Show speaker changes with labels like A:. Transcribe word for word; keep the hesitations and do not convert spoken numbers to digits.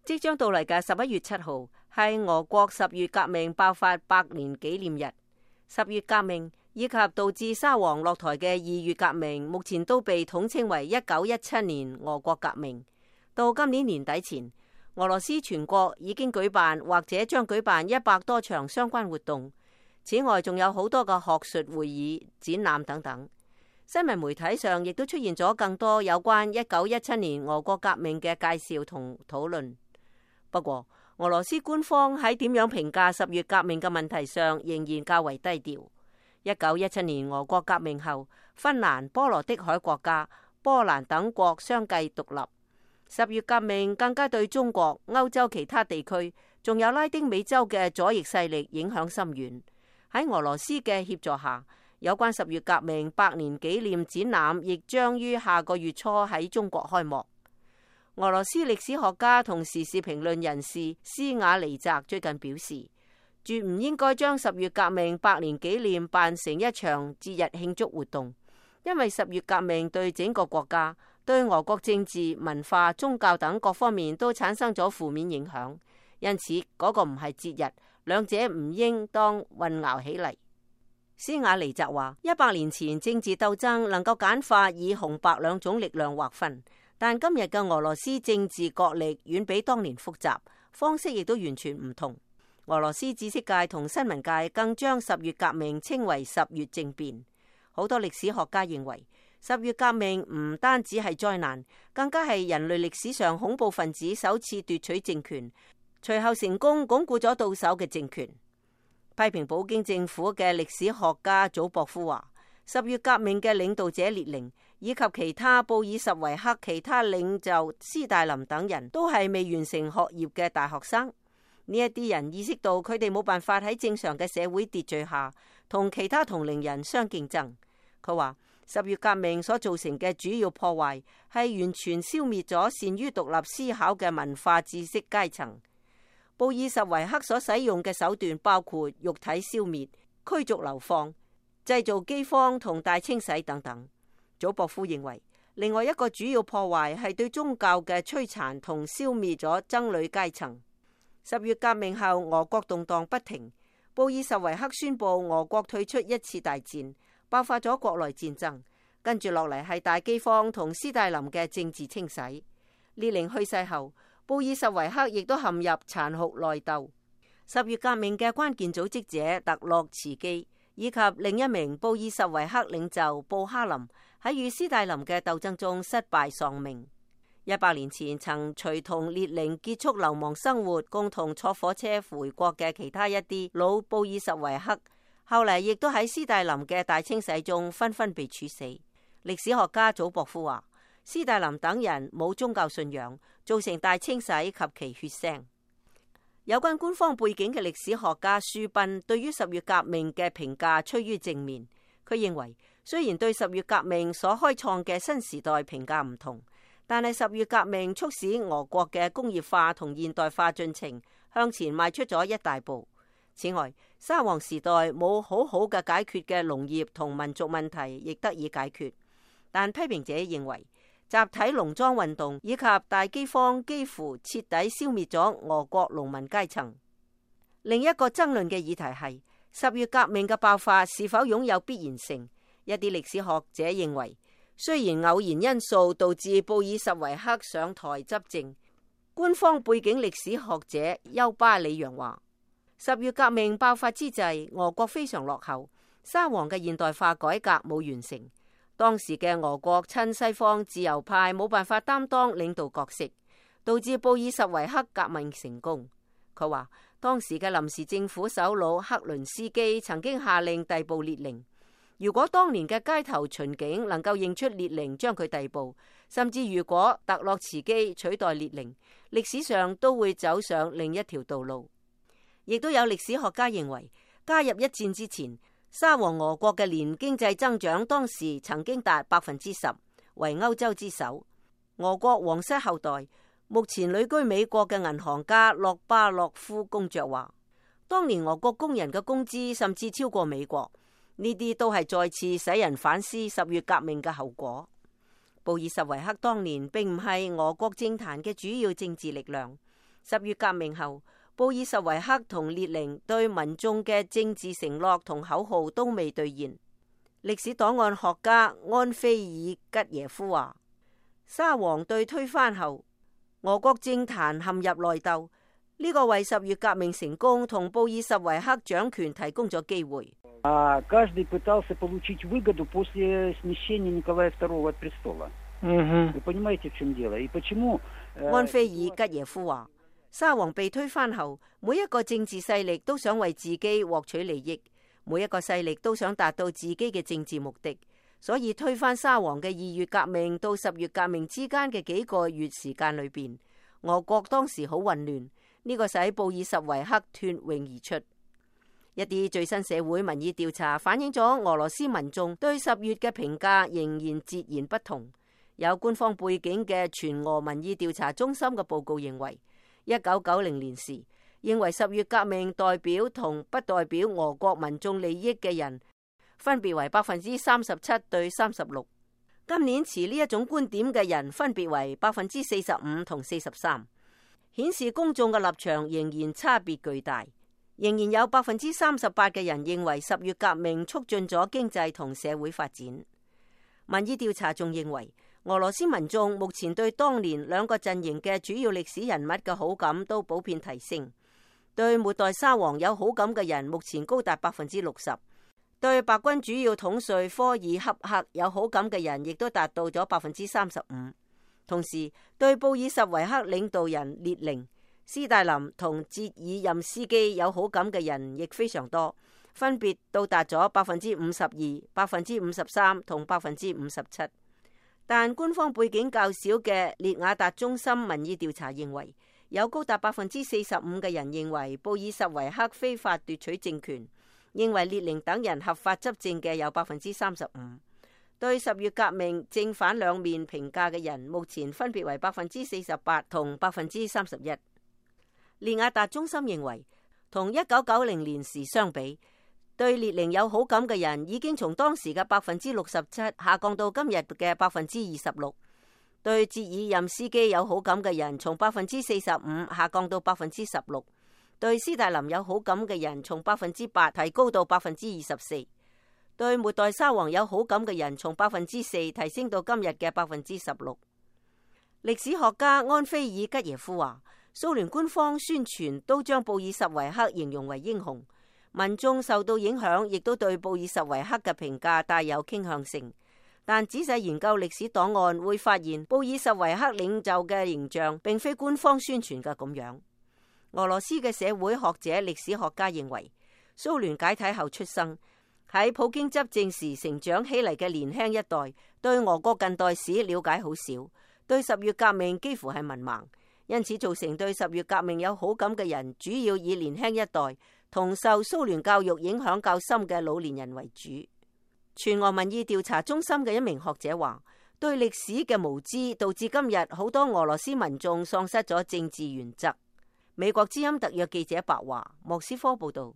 A: 即將到嚟嘅十一月七號係俄國十月革命爆發百年紀念日。十月革命以及導致沙皇落台嘅二月革命，目前都被統稱為一九一七年俄國革命。到今年年底前，俄羅斯全國已經舉辦或者將舉辦一百多場相關活動。此外，仲有好多嘅學術會議、展覽等等。新聞媒體上亦都出現咗更多有關一九一七年俄國革命嘅介紹同討論。不過，俄羅斯官方喺點樣評價十月革命嘅問題上，仍然較為低調。一九一七年俄國革命後，芬蘭、波羅的海國家、波蘭等國相繼獨立。十月革命更加對中國、歐洲其他地區，仲有拉丁美洲嘅左翼勢力影響深遠。喺俄羅斯嘅協助下，有關十月革命百年紀念展覽亦將於下個月初喺中國開幕。俄羅斯歷史學家同時事評論人士斯瓦尼澤最近表示，絕唔應該將十月革命百年紀念辦成一場節日慶祝活動，因為十月革命對整個國家、對俄國政治、文化、宗教等各方面都產生咗負面影響，因此嗰個唔係節日，兩者唔應當混淆起嚟。斯瓦尼澤話：一百年前政治鬥爭能夠簡化以紅白兩種力量劃分。但今日嘅俄羅斯政治角力遠比當年複雜，方式亦都完全唔同。俄羅斯知識界同新聞界更將十月革命稱為十月政變。好多歷史學家認為，十月革命唔單止係災難，更加係人類歷史上恐怖分子首次奪取政權，隨後成功鞏固咗到手嘅政權。批評普京政府嘅歷史學家祖博夫話：十月革命嘅領導者列寧以及其他布爾什維克其他領袖斯大林等人都係未完成學業嘅大學生。呢一啲人意識到佢哋冇辦法喺正常嘅社會秩序下同其他同齡人相競爭。佢話十月革命所造成嘅主要破壞係完全消滅咗善於獨立思考嘅文化知識階層。布爾什維克所使用嘅手段包括肉體消滅、驅逐流放、製造饑荒同大清洗等等。祖博夫認為，另外一個主要破壞係對宗教嘅摧殘同消滅咗僧侶階層。十月革命後，俄國動盪不停，布爾什維克宣布俄國退出一次大戰，爆發咗國內戰爭。跟住落嚟係大饑荒同斯大林嘅政治清洗。列寧去世後，布爾什維克亦都陷入殘酷內鬥。十月革命嘅關鍵組織者特洛茨基以及另一名布爾什維克領袖布哈林喺與斯大林嘅鬥爭中失敗喪命。一百年前曾隨同列寧結束流亡生活，共同坐火車回國嘅其他一啲老布爾什維克，後嚟亦都喺斯大林嘅大清洗中紛紛被處死。歷史學家祖博夫話：斯大林等人冇宗教信仰，造成大清洗及其血腥。有關官方背景嘅歷史學家舒賓對於十月革命嘅評價趨於正面。佢認為，雖然對十月革命所開創嘅新時代評價唔同，但係十月革命促使俄國嘅工業化同現代化進程向前邁出咗一大步。此外，沙皇時代冇好好嘅解決嘅農業同民族問題亦得以解決。但批評者認為，集體農莊運動以及大饑荒幾乎徹底消滅咗俄國農民階層。另一個爭論嘅議題係十月革命嘅爆發是否擁有必然性。一啲歷史學者認為，雖然偶然因素導致布爾什維克上台執政，官方背景歷史學者丘巴里揚話，十月革命爆發之際，俄國非常落後，沙皇嘅現代化改革冇完成。當時嘅俄國親西方自由派冇辦法擔當領導角色，導致布爾什維克革命成功。佢話當時嘅臨時政府首腦克倫斯基曾經下令逮捕列寧，如果當年嘅街頭巡警能夠認出列寧將佢逮捕，甚至如果特洛茨基取代列寧，歷史上都會走上另一條道路。亦都有歷史學家認為，加入一戰之前，沙皇俄國嘅年經濟增長當時曾經達百分之十，為歐洲之首。俄國皇室後代，目前旅居美國嘅銀行家洛巴洛夫公爵話，當年俄國工人嘅工資甚至超過美國，呢啲都係再次使人反思十月革命嘅後果。布爾什維克當年並唔係俄國政壇嘅主要政治力量，十月革命後，布爾什維克同列寧對民眾嘅政治承諾同口號都未兌現。歷史檔案學家安菲爾吉耶夫話，沙皇對推翻後，俄國政壇陷入內鬥，呢、這個為十月革命成功同布爾什維克掌權提供咗機會。
B: 安
A: 菲爾吉耶夫話，沙皇被推翻後，每一個政治勢力都想為自己獲取利益，每一個勢力都想達到自己嘅政治目的，所以推翻沙皇嘅二月革命到十月革命之間嘅幾個月時間裏邊，俄國當時好混亂，呢、這個使布爾什維克脫穎而出。一啲最新社會民意調查反映咗俄羅斯民眾對十月嘅評價仍然截然不同。有官方背景嘅全俄民意調查中心嘅報告認為，一九九零年時認為十月革命代表同不代表俄國民眾利益嘅人分別為百分之三十七對三十六。今年持呢一種觀點嘅人分別為百分之四十五同四十三，顯示公眾嘅立場仍然差別巨大。仍然有百分之三十八嘅人認為十月革命促進咗經濟同社會發展。民意調查仲認為，俄羅斯民眾目前對當年兩個陣營嘅主要歷史人物嘅好感都普遍提升。對末代沙皇有好感嘅人目前高達百分之六十，對白軍主要統帥科爾恰克有好感嘅人亦都達到咗百分之三十五。同時，對布爾什維克領導人列寧、斯大林同捷爾任斯基有好感嘅人亦非常多，分別到達咗百分之五十二、百分之五十三同百分之五十七。但官方背景較少嘅列雅達中心民意調查認為，有高達百分之四十五嘅人認為布爾什維克非法奪取政權，認為列寧等人合法執政嘅有百分之三十五。對十月革命正反兩面評價嘅人目前分別為百分之四十八同百分之三十一。列雅達中心認為，同一九九零年時相比，對列寧有好感嘅人已經從當時嘅百分之六十七下降到今日嘅百分之二十六；對捷爾任斯基有好感嘅人從百分之四十五下降到百分之十六；對斯大林有好感嘅人從百分之八提高到百分之二十四；對末代沙皇有好感嘅人從百分之四提升到今日嘅百分之十六。歷史學家安菲爾吉耶夫話，蘇聯官方宣傳都將布爾什維克形容為英雄，民眾受到影響，亦都對布爾什維克嘅評價帶有傾向性。但仔細研究歷史檔案會發現，布爾什維克領袖嘅形象並非官方宣傳嘅咁樣。俄羅斯嘅社會學者、歷史學家認為，蘇聯解體後出生喺普京執政時成長起嚟嘅年輕一代，對俄國近代史了解好少，對十月革命幾乎係文盲。因此造成對十月革命有好感嘅人，主要以年輕一代同受蘇聯教育影響較深嘅老年人為主。全俄民意調查中心嘅一名學者話，對歷史嘅無知導致今日好多俄羅斯民眾喪失咗政治原則。美國之音特約記者白華，莫斯科報道。